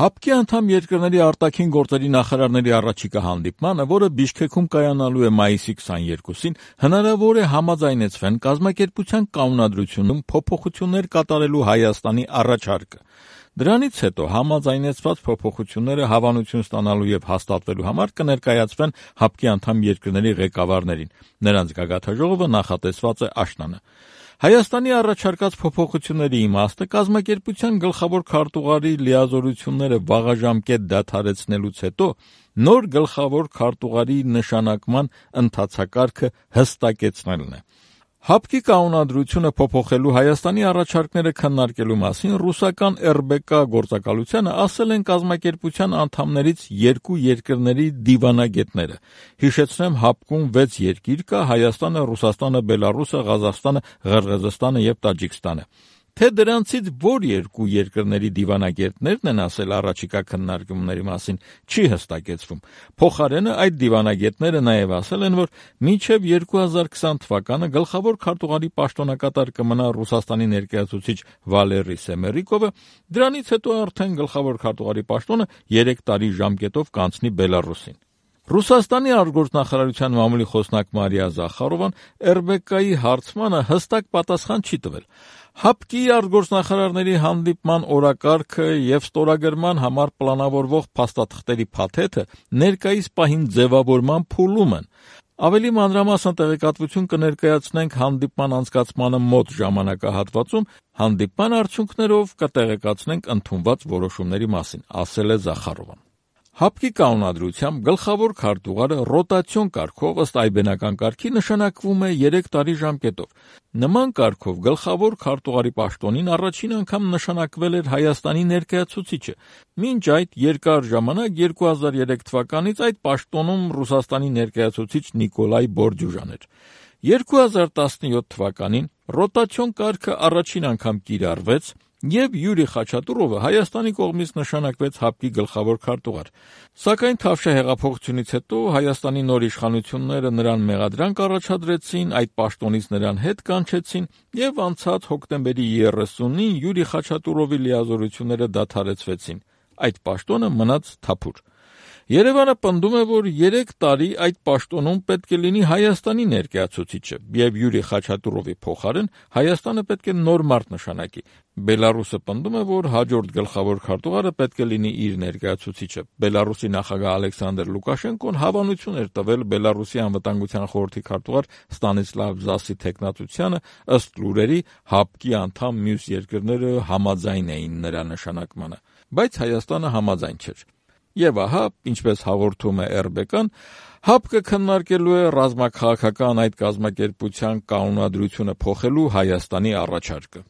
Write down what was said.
ՀԱՊԿ-ի անդամ երկրների արտաքին գործերի նախարարների առաջիկա հանդիպմանը, որը Բիշքեքում կայանալու է մայիսի 22-ին, հնարավոր է համաձայնեցվեն կազմակերպության կանոնադրությունում փոփոխություններ կատարելու Հայաստանի առաջարկը։ Դրանից հետո համաձայնեցված փոփոխությունները հավանություն ստանալու եւ հաստատվելու համար կներկայացվեն ՀԱՊԿ-ի անդամ երկրների ղեկավարներին։ Նրանց գագաթնաժողովը նախատեսված է աշնանը։ Հայաստանի առաջարկած փոփոխությունների իմաստը կազմակերպության գլխավոր քարտուղարի լիազորությունները վաղաժամկետ դադարեցնելուց հետո նոր գլխավոր քարտուղարի նշանակման ընթացակարգը հստակեցնելն է։ ՀԱՊԿ-ի կանոնադրությունը փոփոխելու Հայաստանի առաջարկները քննարկելու մասին ռուսական ՌԲԿ գործակալությանը ասել են կազմակերպության անդամներից երկու երկրների դիվանագետները։ Հիշեցնեմ, ՀԱՊԿ-ում 6 երկիր կա՝ Հայաստանը, Ռուսաստանը, Բելառուսը, Ղազախստանը, Ղրղըզստանը եւ Տաջիկստանը։ Թե դրանցից որ երկու երկրների դիվանագետներն են ասել առաջիկա քննարկումների մասին, չի հստակեցվում։ Փոխարենը այդ դիվանագետները նաև ասել են, որ մինչև 2020 թվականը գլխավոր քարտուղարի պաշտոնակատար կմնա Ռուսաստանի ներկայացուցիչ Վալերի Սեմերիկովը, դրանից հետո արդեն գլխավոր քարտուղարի պաշտոնը 3 տարի ժամկետով կանցնի Բելառուսին։ Ռուսաստանի արտգործնախարարության մամուլի խոսնակ Մարիա Զախարովան ՌԲԿ-ի հարցմանը հստակ պատասխան չի տվել։ ՀԱՊԿ-ի արտգործնախարարների հանդիպման օրակարգը եւ ստորագրման համար պլանավորվող փաստաթղթերի փաթեթը ներկայիս պահին ձևավորման փուլում են։ Ավելի մանրամասն տեղեկատվություն կներկայացնենք հանդիպման անցկացմանը մոտ ժամանակահատվածում, հանդիպման արդյունքներով կտեղեկացնենք ընդունված որոշումների մասին, ասել է Զախարովան։ ՀԱՊԿ-ի կանոնադրությամբ գլխավոր քարտուղարը ռոտացիոն կարգով ըստ այբենական կարգի նշանակվում է 3 տարի ժամկետով։ Նման կարգով գլխավոր քարտուղարի պաշտոնին առաջին անգամ նշանակվել էր Հայաստանի ներկայացուցիչը։ Մինչ այդ երկար ժամանակ 2003 թվականից այդ պաշտոնում Ռուսաստանի ներկայացուցիչ Նիկոլայ Բորդյուժան էր։ 2017 թվականին ռոտացիոն կարգը առաջին անգամ կիրառվեց եւ Յուրի Խաչատուրովը Հայաստանի կողմից նշանակվեց ՀԱՊԿ-ի գլխավոր քարտուղար։ Սակայն Թավշյա հեղափոխությունից հետո Հայաստանի նոր իշխանությունները նրան մեղադրանք առաջադրեցին, այդ պաշտոնից նրան հետ կանչեցին եւ անցած հոկտեմբերի 30-ին Յուրի Խաչատուրովի լիազորությունները դադարեցվեցին։ Այդ պաշտոնը մնաց թափուր։ Երևանը պնդում է, որ 3 տարի այդ պաշտոնում պետք է լինի Հայաստանի ներկայացուցիչը եւ Յուրի Խաչատուրովի փոխարեն Հայաստանը պետք է նոր մարդ նշանակի։ Բելառուսը պնդում է, որ հաջորդ գլխավոր քարտուղարը պետք է լինի իր ներկայացուցիչը։ Բելառուսի նախագահ Ալեքսանդր Լուկաշենկոն հավանություն էր տվել Բելառուսի անվտանգության խորհրդի քարտուղար Ստանիսլավ Զասի թեկնածությանը, ըստ լուրերի ՀԱՊԿ-ի անդամ մյուս երկրները համաձայն էին նրա նշանակմանը, բայց Հայաստանը համաձայն չէր։ Եվ ահա, ինչպես հաղորդում է ՌԲԿ-ն, ՀԱՊԿ-ը քննարկելու է ռազմաքաղաքական այդ կազմակերպության կանոնադրությունը փոխելու Հայաստանի առաջարկը։